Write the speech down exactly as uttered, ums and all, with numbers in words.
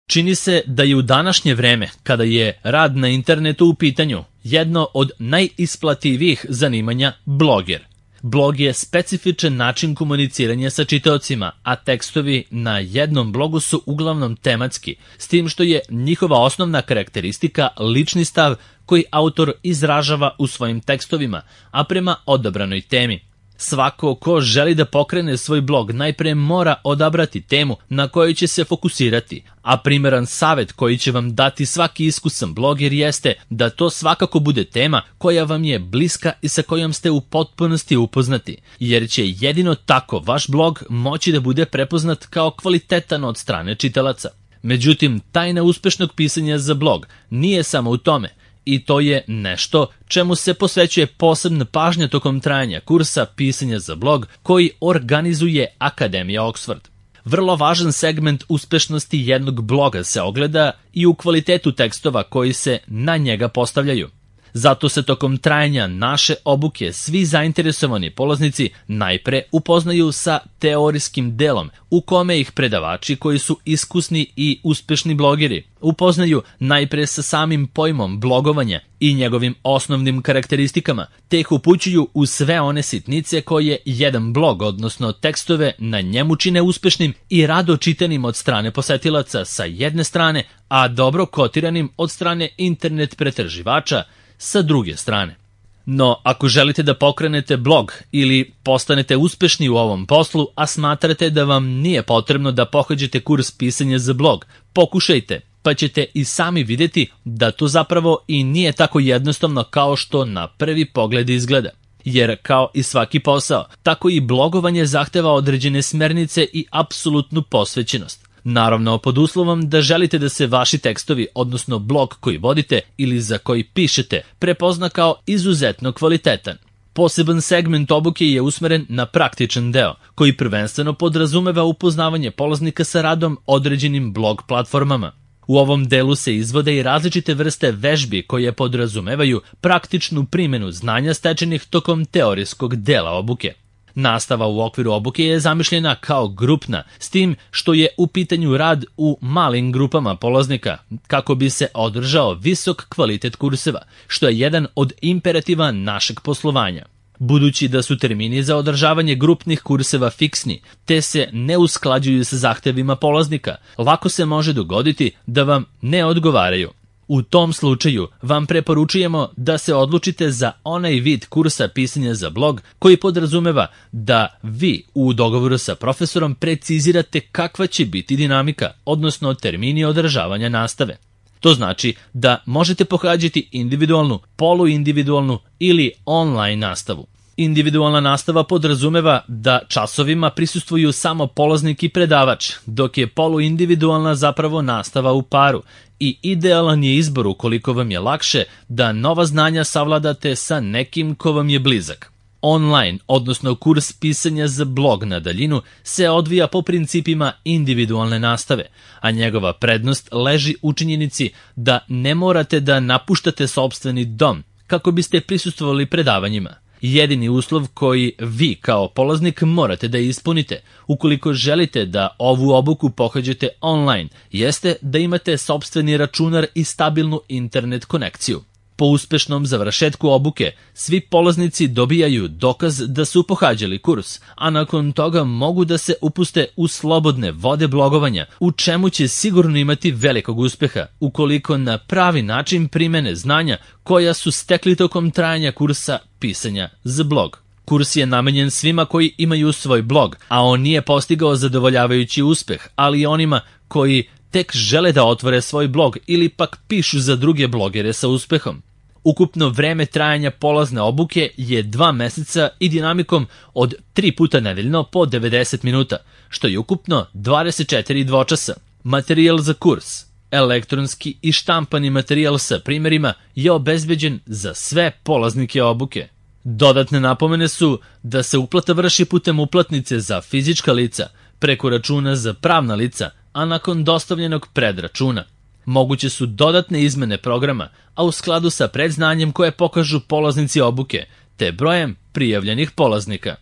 Čini se da je u današnje vreme, kada je rad na internetu u pitanju, jedno od najisplativijih zanimanja bloger. Blog je specifičan način komuniciranja sa čitaocima, a tekstovi na jednom blogu su uglavnom tematski, s tim što je njihova osnovna karakteristika lični stav koji autor izražava u svojim tekstovima, a prema odabranoj temi. Svako ko želi da pokrene svoj blog najpre mora odabrati temu na kojoj će se fokusirati, a primeran savjet koji će vam dati svaki iskusan bloger jeste da to svakako bude tema koja vam je bliska i sa kojom ste u potpunosti upoznati, jer će jedino tako vaš blog moći da bude prepoznat kao kvalitetan od strane čitalaca. Međutim, tajna uspešnog pisanja za blog nije samo u tome, i to je nešto čemu se posvećuje posebna pažnja tokom trajanja kursa pisanja za blog koji organizuje Akademija Oxford. Vrlo važan segment uspešnosti jednog bloga se ogleda i u kvalitetu tekstova koji se na njega postavljaju. Zato se tokom trajanja naše obuke svi zainteresovani polaznici najpre upoznaju sa teorijskim delom u kome ih predavači koji su iskusni i uspešni blogeri upoznaju najpre sa samim pojmom blogovanja i njegovim osnovnim karakteristikama, te ih upućuju u sve one sitnice koje jedan blog, odnosno tekstove, na njemu čine uspešnim i rado čitanim od strane posetilaca sa jedne strane, a dobro kotiranim od strane internet pretraživača sa druge strane. No, ako želite da pokrenete blog ili postanete uspešni u ovom poslu, a smatrate da vam nije potrebno da pohađate kurs pisanja za blog, pokušajte, pa ćete i sami vidjeti da to zapravo i nije tako jednostavno kao što na prvi pogled izgleda. Jer kao i svaki posao, tako i blogovanje zahteva određene smernice i apsolutnu posvećenost. Naravno, pod uslovom da želite da se vaši tekstovi, odnosno blog koji vodite ili za koji pišete, prepozna kao izuzetno kvalitetan. Poseban segment obuke je usmeren na praktičan deo, koji prvenstveno podrazumeva upoznavanje polaznika sa radom određenim blog platformama. U ovom delu se izvode i različite vrste vežbi koje podrazumevaju praktičnu primjenu znanja stečenih tokom teorijskog dela obuke. Nastava u okviru obuke je zamišljena kao grupna, s tim što je u pitanju rad u malim grupama polaznika, kako bi se održao visok kvalitet kurseva, što je jedan od imperativa našeg poslovanja. Budući da su termini za održavanje grupnih kurseva fiksni, te se ne usklađuju sa zahtevima polaznika, lako se može dogoditi da vam ne odgovaraju. U tom slučaju vam preporučujemo da se odlučite za onaj vid kursa pisanja za blog koji podrazumeva da vi u dogovoru sa profesorom precizirate kakva će biti dinamika, odnosno termini održavanja nastave. To znači da možete pohađati individualnu, poluindividualnu ili online nastavu. Individualna nastava podrazumeva da časovima prisustvuju samo polaznik i predavač, dok je poluindividualna zapravo nastava u paru i idealan je izbor ukoliko vam je lakše da nova znanja savladate sa nekim ko vam je blizak. Online, odnosno kurs pisanja za blog na daljinu, se odvija po principima individualne nastave, a njegova prednost leži u činjenici da ne morate da napuštate sopstveni dom kako biste prisustvovali predavanjima. Jedini uslov koji vi kao polaznik morate da ispunite ukoliko želite da ovu obuku pohađate online jeste da imate sopstveni računar i stabilnu internet konekciju. Po uspešnom završetku obuke, svi polaznici dobijaju dokaz da su pohađali kurs, a nakon toga mogu da se upuste u slobodne vode blogovanja, u čemu će sigurno imati velikog uspeha, ukoliko na pravi način primene znanja koja su stekli tokom trajanja kursa pisanja za blog. Kurs je namenjen svima koji imaju svoj blog, a on nije postigao zadovoljavajući uspeh, ali i onima koji tek žele da otvore svoj blog ili pak pišu za druge blogere sa uspehom. Ukupno vreme trajanja polazne obuke je dva meseca i dinamikom od tri puta nedeljno po devedeset minuta, što je ukupno dvadeset četiri dvočasa. Materijal za kurs, elektronski i štampani materijal sa primjerima je obezbeđen za sve polaznike obuke. Dodatne napomene su da se uplata vrši putem uplatnice za fizička lica, preko računa za pravna lica, a nakon dostavljenog predračuna. Moguće su dodatne izmene programa, a u skladu sa predznanjem koje pokažu polaznici obuke, te brojem prijavljenih polaznika.